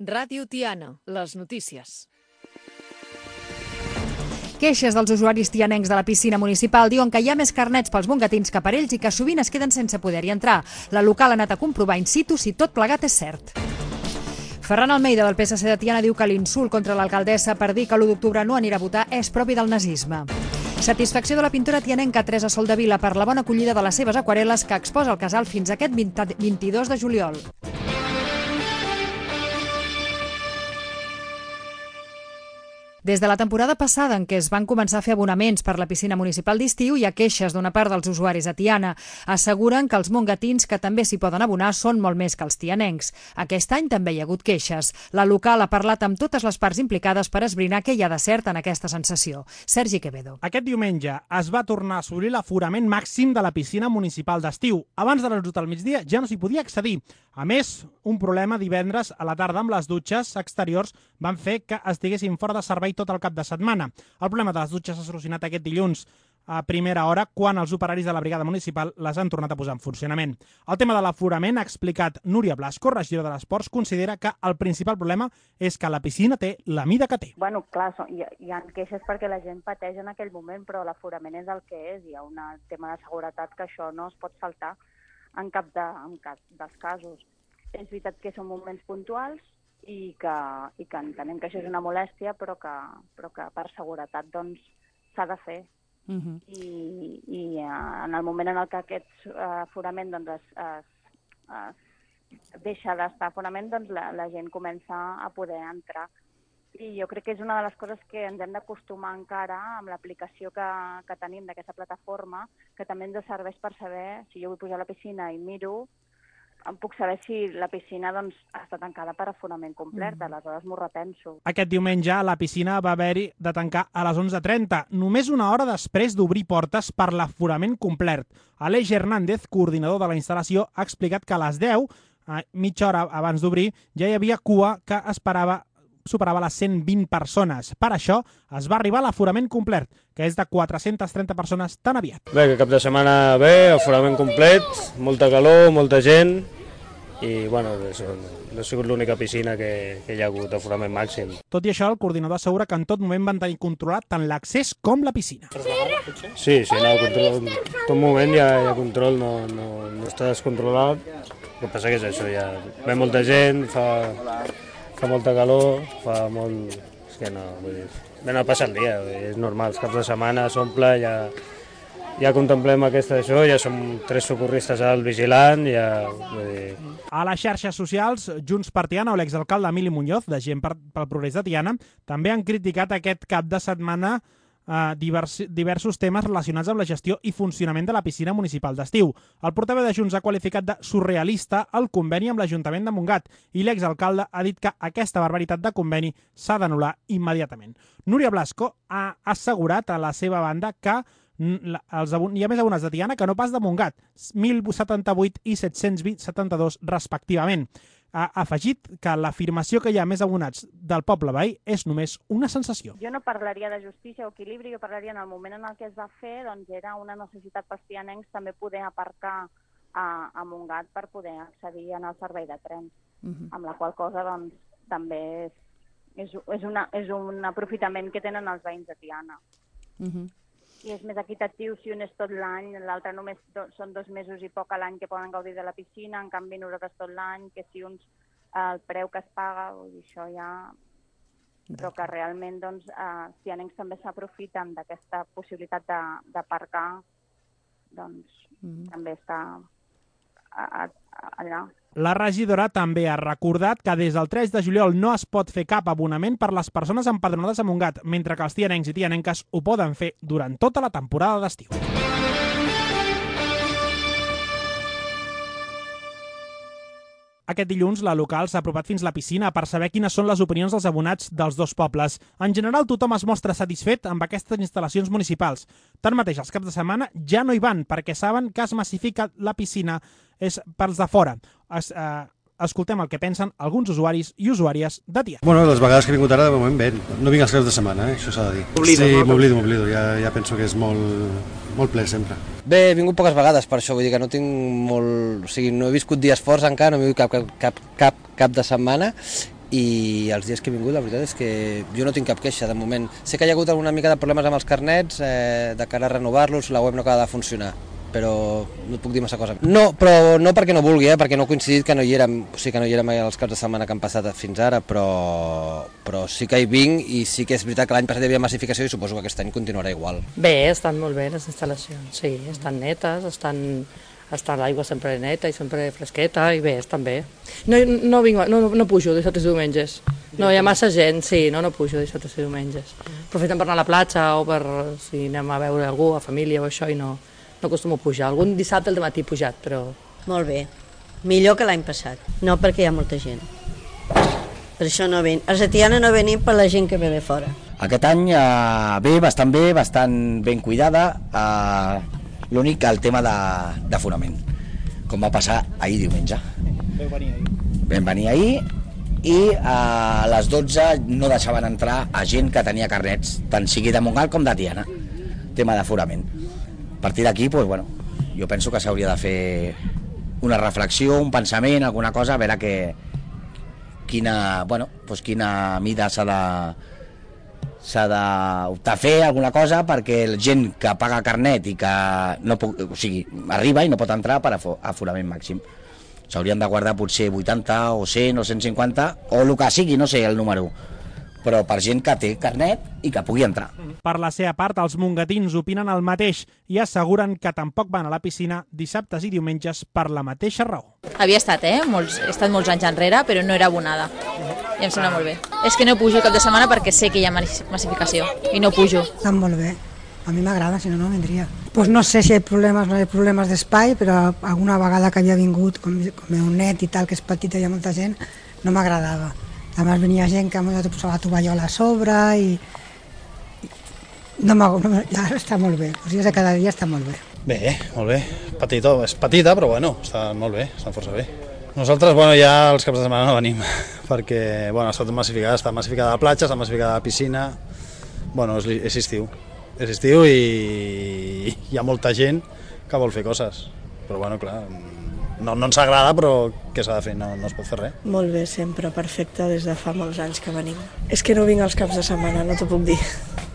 Ràdio Tiana, les notícies. Queixes dels usuaris tianencs de la piscina municipal diuen que hi ha més carnets pels mongatins que per ells i que sovint es queden sense poder-hi entrar. La local ha anat a comprovar in situ si tot plegat és cert. Ferran Almeida, del PSC de Tiana, diu que l'insult contra l'alcaldessa per dir que l'1 d'octubre no anirà a votar és propi del nazisme. Satisfacció de la pintora tianenca Teresa Soldevila per la bona acollida de les seves aquarel·les que exposa el casal fins aquest 22 de juliol. Des de la temporada passada, en què es van començar a fer abonaments per la piscina municipal d'estiu, hi ha queixes d'una part dels usuaris a Tiana. Asseguren que els mongatins que també s'hi poden abonar són molt més que els tianencs. Aquest any també hi ha hagut queixes. La local ha parlat amb totes les parts implicades per esbrinar què hi ha de cert en aquesta sensació. Sergi Quevedo. Aquest diumenge es va tornar a assolir l'aforament màxim de la piscina municipal d'estiu. Abans de les 12 del migdia ja no s'hi podia accedir. A més, un problema divendres a la tarda amb les dutxes exteriors van fer que estiguessin fora de servei tot el cap de setmana. El problema de les dutxes s'ha solucionat aquest dilluns a primera hora, quan els operaris de la brigada municipal les han tornat a posar en funcionament. El tema de l'aforament, ha explicat Núria Blasco, regidora de l'Esports, considera que el principal problema és que la piscina té la mida que té. Bueno, clar, hi ha queixes perquè la gent pateix en aquell moment, però l'aforament és el que és. Hi ha un tema de seguretat que això no es pot saltar en cap dels casos. És veritat que són moments puntuals i que entenem que això és una molèstia, però que per seguretat doncs s'ha de fer. I en el moment en el que aquest aforament es deixa d'estar aforament, doncs la gent comença a poder entrar. I jo crec que és una de les coses que ens hem d'acostumar encara amb l'aplicació que tenim d'aquesta plataforma, que també ens serveix per saber, si jo vull pujar a la piscina i miro, em puc saber si la piscina està tancada per aforament complet, aleshores m'ho repenso. Aquest diumenge la piscina va haver-hi de tancar a les 11:30, només una hora després d'obrir portes per l'aforament complet. Aleix Hernández, coordinador de la instal·lació, ha explicat que a les 10, mitja hora abans d'obrir, ja hi havia cua que superava les 120 persones. Per això es va arribar a l'aforament complet, que és de 430 persones tan aviat. Bé, que cap de setmana bé, aforament complet, molta calor, molta gent i, bueno, no ha sigut l'única piscina que hi ha hagut aforament màxim. Tot i això, el coordinador assegura que en tot moment van tenir controlat tant l'accés com la piscina. Sí, control. En tot moment hi ha control, no està descontrolat. El que passa que és això, ve molta gent, fa molta calor, fa molt... És que no, vull dir, no passa el dia, és normal, els caps de setmana s'omple, ja contemplem això, ja som 3 socorristes al vigilant, vull dir... A les xarxes socials, Junts per Tiana o l'exalcalde Emili Muñoz, de Gent pel Progrés de Tiana, també han criticat aquest cap de setmana diversos temes relacionats amb la gestió i funcionament de la piscina municipal d'estiu. El portaveu de Junts ha qualificat de surrealista el conveni amb l'Ajuntament de Montgat i l'exalcalde ha dit que aquesta barbaritat de conveni s'ha d'anul·lar immediatament. Núria Blasco ha assegurat a la seva banda que hi ha més abonats de Tiana que no pas de Montgat, 1.078 i 772 respectivament. Ha afegit que l'afirmació que hi ha més abonats del poble veí és només una sensació. Jo no parlaria de justícia o equilibri, jo parlaria en el moment en el que es va fer, doncs era una necessitat pels tianencs també poder aparcar a Montgat per poder accedir al servei de trens, amb la qual cosa doncs també és un aprofitament que tenen els veïns de Tiana. I és més equitatiu si un és tot l'any, l'altre només són 2 mesos i poc a l'any que poden gaudir de la piscina, en canvi nosaltres tot l'any, que si uns el preu que es paga, vull dir, això ja... Però que realment, doncs, tianencs també s'aprofiten d'aquesta possibilitat d'aparcar, doncs, també està allà. La regidora també ha recordat que des del 3 de juliol no es pot fer cap abonament per les persones empadronades a Montgat, mentre que els tianencs i tianenques ho poden fer durant tota la temporada d'estiu. Aquest dilluns, la local s'ha apropat fins la piscina per saber quines són les opinions dels abonats dels dos pobles. En general, tothom es mostra satisfet amb aquestes instal·lacions municipals. Tanmateix, els caps de setmana ja no hi van perquè saben que es massifica la piscina és pels de fora. Escoltem el que pensen alguns usuaris i usuàries de Tiana. Bueno, les vegades que he vingut ara, de moment bé. No vinc els caps de setmana, això s'ha de dir. Sí, m'oblido. Ja penso que és molt ple sempre. Bé, he vingut poques vegades per això, vull dir que no tinc molt... O sigui, no he viscut dies forts encara, no he vingut cap de setmana i els dies que he vingut la veritat és que jo no tinc cap queixa de moment. Sé que hi ha hagut alguna mica de problemes amb els carnets de cara a renovar-los, la web no acaba de funcionar, però no et puc dir massa cosa. No, però no perquè no vulgui, perquè no ha coincidit que no hi érem, o sigui que no hi érem els caps de setmana que han passat fins ara, però sí que hi vinc i sí que és veritat que l'any passat hi havia massificació i suposo que aquest any continuarà igual. Bé, estan molt bé les instal·lacions, sí, estan netes, està l'aigua sempre neta i sempre fresqueta i bé, estan bé. No pujo dissabtes i diumenges, no hi ha massa gent, sí, no pujo dissabtes i diumenges. Aprofitem per anar a la platja o per si anem a veure algú, a família o això i no acostumo a pujar. Algun dissabte al matí he pujat, però... Molt bé, millor que l'any passat, no perquè hi ha molta gent. Per això no venim. A Setiana no venim per la gent que ve de fora. Aquest any bé, bastant ben cuidada. L'únic, el tema d'aforament, com va passar ahir diumenge. Vam venir ahir i a les 12 no deixaven entrar a gent que tenia carnets, tant sigui de Montgat com de Tiana. Tema d'aforament. A partir d'aquí, doncs, bueno, jo penso que s'hauria de fer una reflexió, un pensament, alguna cosa, a veure quina mida s'ha d'optar a fer alguna cosa perquè la gent que paga carnet i que arriba i no pot entrar per aforament màxim. S'haurien de guardar potser 80 o 100 o 150 o el que sigui, no sé el número, però per gent que té carnet i que pugui entrar. Per la seva part, els mongatins opinen el mateix i asseguren que tampoc van a la piscina dissabtes i diumenges per la mateixa raó. Havia estat, he estat molts anys enrere, però no era abonada. I em sembla molt bé. És que no pujo cap de setmana perquè sé que hi ha massificació i no pujo. Està molt bé. A mi m'agrada, si no, no vendria. Pues no sé si hi ha problemes d'espai, però alguna vegada que havia vingut, com un net i tal, que és petit i hi ha molta gent, no m'agradava. A més venia gent que te posava la tovallola a sobre i ara està molt bé, els dies de cada dia està molt bé. Bé, molt bé, és petita però bueno, està molt bé, està força bé. Nosaltres ja els caps de setmana no venim perquè està tot massificat, està massificada la platja, està massificada la piscina, és estiu i hi ha molta gent que vol fer coses, però clar, no ens agrada, però què s'ha de fer? No es pot fer res. Molt bé, sempre, perfecte, des de fa molts anys que venim. És que no vinc els caps de setmana, no t'ho puc dir.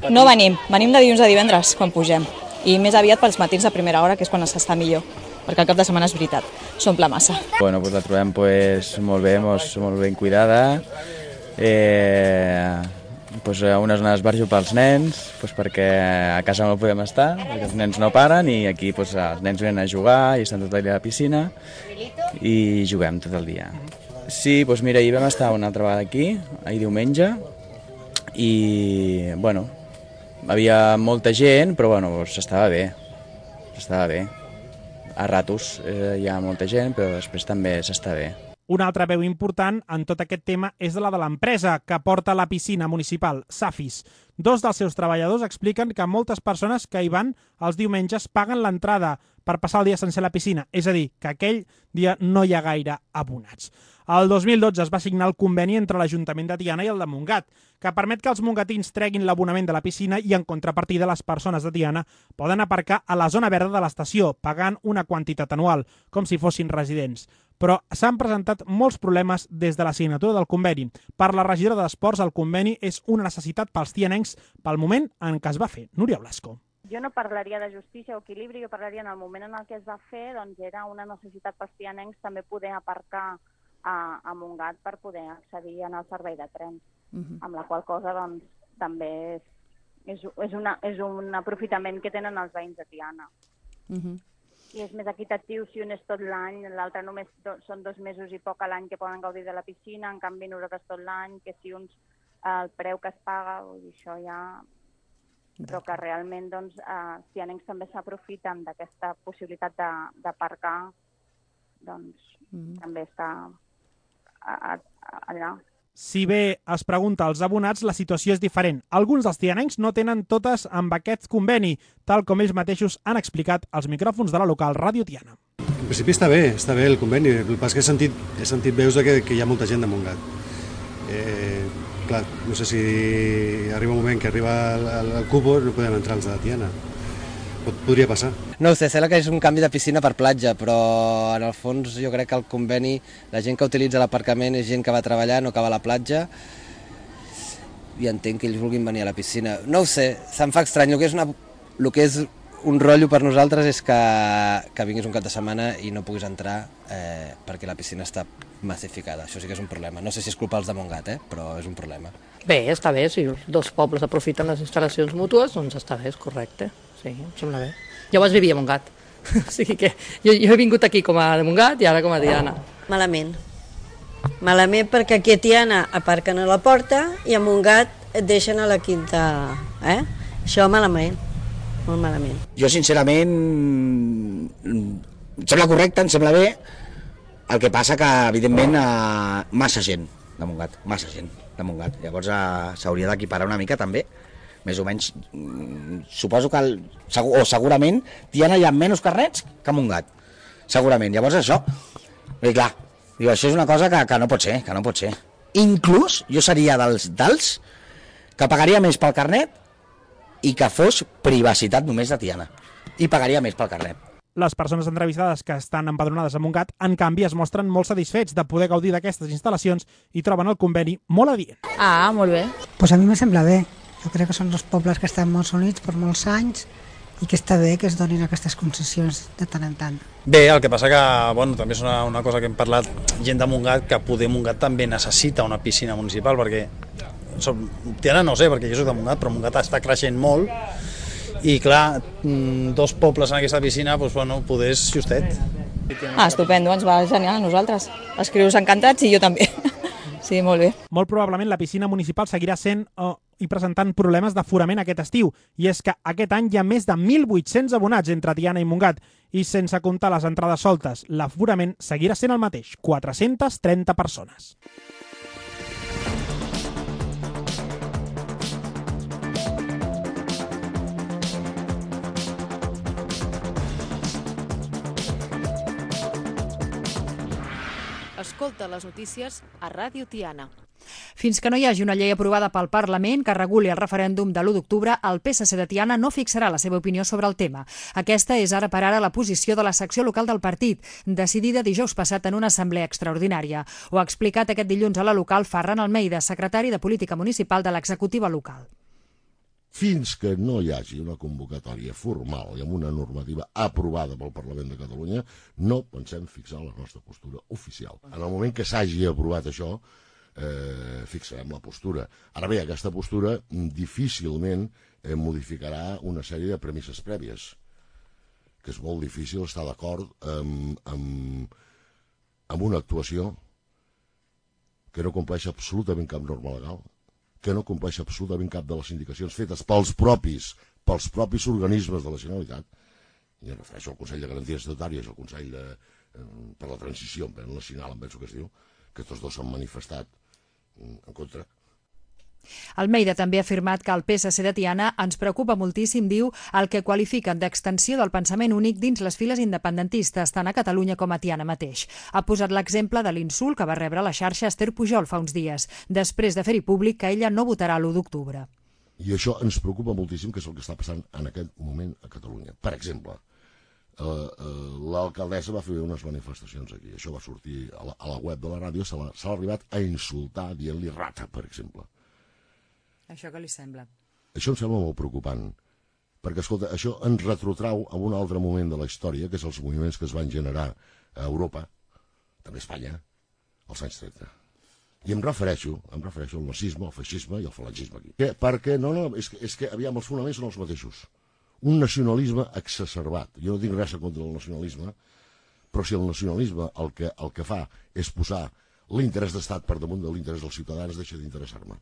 No venim de dilluns a divendres, quan pugem. I més aviat pels matins de primera hora, que és quan s'està millor, perquè el cap de setmana és veritat, s'omple massa. La trobem molt bé, molt ben cuidada. Una zona d'esbarjo pels nens, perquè a casa no podem estar, perquè els nens no paren i aquí els nens venen a jugar i estan tot el dia a la piscina i juguem tot el dia. Sí, mira, ahir vam estar una altra vegada aquí, ahir diumenge, i havia molta gent, però s'estava bé. A ratos hi ha molta gent, però després també s'està bé. Una altra veu important en tot aquest tema és la de l'empresa que porta la piscina municipal, Safis. Dos dels seus treballadors expliquen que moltes persones que hi van els diumenges paguen l'entrada per passar el dia sencer a la piscina, és a dir, que aquell dia no hi ha gaire abonats. El 2012 es va signar el conveni entre l'Ajuntament de Tiana i el de Montgat, que permet que els mongatins treguin l'abonament de la piscina i, en contrapartida, les persones de Tiana poden aparcar a la zona verda de l'estació, pagant una quantitat anual, com si fossin residents. Però s'han presentat molts problemes des de la signatura del conveni. Per la regidora d'Esports, el conveni és una necessitat pels tianencs pel moment en què es va fer. Núria Blasco. Jo no parlaria de justícia o equilibri, jo parlaria en el moment en el que es va fer, era una necessitat pels tianencs també poder aparcar a Montgat per poder accedir al servei de tren, amb la qual cosa també és un aprofitament que tenen els veïns de Tiana. I és més equitatiu si un és tot l'any, l'altre només són 2 mesos i poc a l'any que poden gaudir de la piscina, en canvi nosaltres tot l'any, que si uns el preu que es paga, això ja... Però que realment tianencs també s'aprofiten d'aquesta possibilitat d'aparcar, també està allà. Si bé es pregunta als abonats, la situació és diferent. Alguns dels tianencs no tenen totes amb aquest conveni, tal com ells mateixos han explicat als micròfons de la local Ràdio Tiana. En principi està bé el conveni. El que passa és que he sentit veus que hi ha molta gent de Montgat. Clar, no sé si arriba un moment que arriba el cupo, no podem entrar els de Tiana. Podria passar. No ho sé, sembla que és un canvi de piscina per platja, però en el fons jo crec que el conveni, la gent que utilitza l'aparcament és gent que va treballar, no que va a la platja, i entenc que ells vulguin venir a la piscina. No ho sé, se'm fa estrany. El que és un rotllo per nosaltres és que vinguis un cap de setmana i no puguis entrar perquè la piscina està massificada. Això sí que és un problema. No sé si és culpa dels de Montgat, però és un problema. Bé, està bé, si els dos pobles aprofiten les instal·lacions mútues, doncs està bé, és correcte. Sí, em sembla bé. Jo abans vivia a Montgat, o sigui que jo he vingut aquí com a de Montgat i ara com a Tiana. Malament. Malament perquè aquí a Tiana aparquen a la porta i a Montgat et deixen a la quinta. Això malament, molt malament. Jo, sincerament, em sembla correcte, em sembla bé, el que passa que, evidentment, massa gent de Montgat, massa gent de Montgat. Llavors s'hauria d'equiparar una mica també, més o menys. Suposo que, segurament, Tiana hi ha menys carnets que a Montgat, segurament. Llavors això, clar, això és una cosa que no pot ser, que no pot ser. Inclús jo seria dels que pagaria més pel carnet i que fos privacitat només de Tiana. I pagaria més pel carnet. Les persones entrevistades que estan empadronades a Montgat, en canvi, es mostren molt satisfets de poder gaudir d'aquestes instal·lacions i troben el conveni molt adient. Ah, molt bé. Pues a mi me sembla bé. Jo crec que són dos pobles que estan molt units per molts anys i que està bé que es donin aquestes concessions de tant en tant. Bé, el que passa que, també és una cosa que hem parlat gent de Montgat, que poder Montgat també necessita una piscina municipal, perquè Tiana no sé, perquè jo soc de Montgat, però Montgat està creixent molt i clar, dos pobles en aquesta piscina, poder és justet. Estupendo, ens va genial a nosaltres. Els crios encantats i jo també. Sí, molt bé. Molt probablement la piscina municipal seguirà sent i presentant problemes d'aforament aquest estiu. I és que aquest any hi ha més de 1.800 abonats entre Tiana i Montgat i sense comptar les entrades soltes, l'aforament seguirà sent el mateix, 430 persones. Escolta les notícies a Ràdio Tiana. Fins que no hi hagi una llei aprovada pel Parlament que reguli el referèndum de l'1 d'octubre, el PSC de Tiana no fixarà la seva opinió sobre el tema. Aquesta és ara per ara la posició de la secció local del partit, decidida dijous passat en una assemblea extraordinària. Ho ha explicat aquest dilluns a la local Ferran Almeida, secretari de Política Municipal de l'executiva local. Fins que no hi hagi una convocatòria formal i amb una normativa aprovada pel Parlament de Catalunya, no pensem fixar la nostra postura oficial. En el moment que s'hagi aprovat això, fixarem la postura. Ara bé, aquesta postura difícilment modificarà una sèrie de premisses prèvies, que és molt difícil estar d'acord amb una actuació que no compleix absolutament cap norma legal, que no compleix absolutament cap de les indicacions fetes pels propis organismes de la Generalitat. I em refereixo al Consell de Garanties Estatutàries i al Consell per la Transició Nacional, em penso que es diu, que tots dos s'han manifestat en contra. Almeida també ha afirmat que el PSC de Tiana ens preocupa moltíssim, diu, el que qualifiquen d'extensió del pensament únic dins les files independentistes, tant a Catalunya com a Tiana mateix. Ha posat l'exemple de l'insult que va rebre a la xarxa Esther Pujol fa uns dies, després de fer-hi públic que ella no votarà l'1 d'octubre. I això ens preocupa moltíssim, que és el que està passant en aquest moment a Catalunya. Per exemple, l'alcaldessa va fer unes manifestacions aquí. Això va sortir a la web de la ràdio, se l'ha arribat a insultar dient-li rata, per exemple. Això què li sembla? Això em sembla molt preocupant, perquè, escolta, això ens retrotrau a un altre moment de la història, que és els moviments que es van generar a Europa, també a Espanya, als anys 30. I em refereixo al nazisme, al feixisme i al falangisme aquí. Perquè, és que aviam, els fonaments són els mateixos. Un nacionalisme exacerbat. Jo no tinc res en contra del nacionalisme, però si el nacionalisme el que fa és posar l'interès d'estat per damunt de l'interès dels ciutadans, deixa d'interessar-me.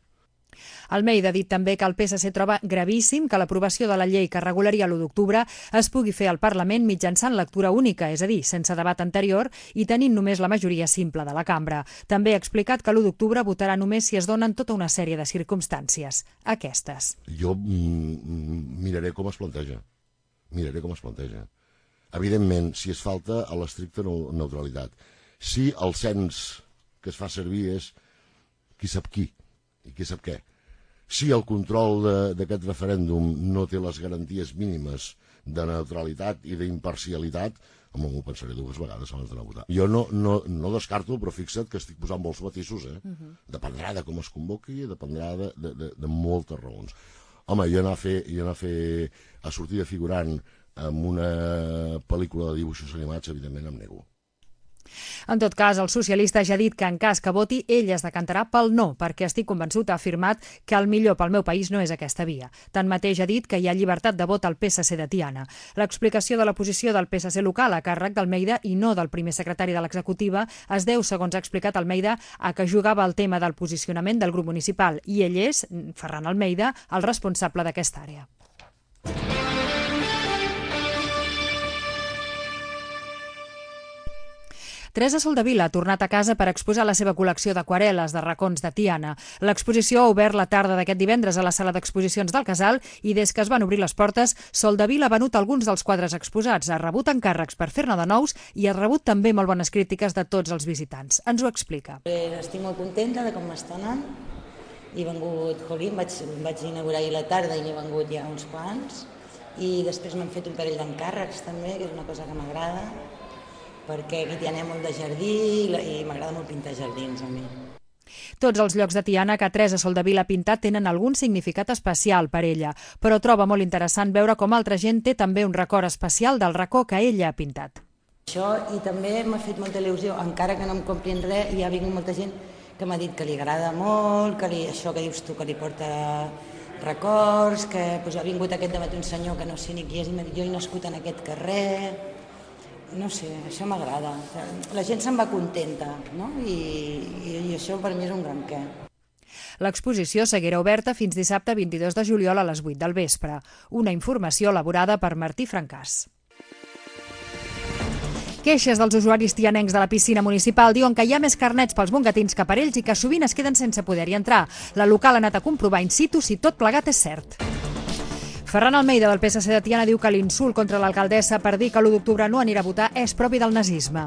Almeida ha dit també que el PSC troba gravíssim que l'aprovació de la llei que regularia l'1 d'octubre es pugui fer al Parlament mitjançant lectura única, és a dir, sense debat anterior i tenint només la majoria simple de la cambra. També ha explicat que l'1 d'octubre votarà només si es donen tota una sèrie de circumstàncies. Aquestes. Jo miraré com es planteja. Evidentment, si es falta a l'estricta neutralitat. Si el cens que es fa servir és qui sap qui i qui sap què. si el control d'aquest referèndum no té les garanties mínimes de neutralitat i d'imparcialitat, home, m'ho pensaré 2 vegades abans d'anar a votar. Jo no descarto, però fixa't que estic posant molts matisos, Dependrà de com es convoqui, dependrà de moltes raons. Home, jo anar a sortir de figurant en una pel·lícula de dibuixos animats, evidentment em nego. En tot cas, el socialista ja ha dit que en cas que voti, ell es decantarà pel no, perquè estic convençut, ha afirmat, que el millor pel meu país no és aquesta via. Tanmateix ha dit que hi ha llibertat de vot al PSC de Tiana. L'explicació de la posició del PSC local a càrrec d'Almeida i no del primer secretari de l'executiva es deu, segons ha explicat Almeida, a que jugava el tema del posicionament del grup municipal i ell és, Ferran Almeida, el responsable d'aquesta àrea. Teresa Soldevila ha tornat a casa per exposar la seva col·lecció d'aquarel·les de racons de Tiana. L'exposició ha obert la tarda d'aquest divendres a la sala d'exposicions del Casal i des que es van obrir les portes, Soldevila ha venut alguns dels quadres exposats, ha rebut encàrrecs per fer-ne de nous i ha rebut també molt bones crítiques de tots els visitants. Ens ho explica. Estic molt contenta de com m'està anant. He vengut, vaig inaugurar ahir la tarda i n'he vengut ja uns quants. I després m'han fet un parell d'encàrrecs també, que és una cosa que m'agrada, perquè aquí hi ha molt de jardí i m'agrada molt pintar jardins a mi. Tots els llocs de Tiana que Teresa Soldevila ha pintat tenen algun significat especial per ella, però troba molt interessant veure com altra gent té també un record especial del racó que ella ha pintat. Això, i també m'ha fet molta il·lusió, encara que no em comprin res, hi ha vingut molta gent que m'ha dit que li agrada molt, que això que dius tu, que li porta records, que ha vingut aquest dematí un senyor que no sé ni qui és i m'ha dit jo he nascut en aquest carrer. No sé, això m'agrada. La gent se'n va contenta, no? I això per mi és un gran què. L'exposició seguirà oberta fins dissabte 22 de juliol a les 8 del vespre. Una informació elaborada per Martí Francàs. Queixes dels usuaris tianencs de la piscina municipal diuen que hi ha més carnets pels mongatins que per ells i que sovint es queden sense poder-hi entrar. La local ha anat a comprovar in situ si tot plegat és cert. Ferran Almeida, del PSC de Tiana, diu que l'insult contra l'alcaldessa per dir que l'1 d'octubre no anirà a votar és propi del nazisme.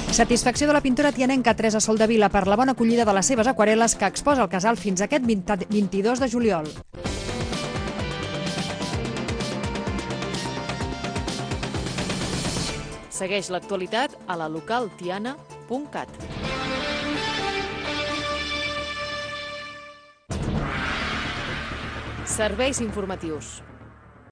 Satisfacció de la pintora tianenca Teresa Soldevila per la bona acollida de les seves aquarel·les que exposa al Casal fins aquest 22 de juliol. Segueix l'actualitat a la localtiana.cat. Serveis informatius.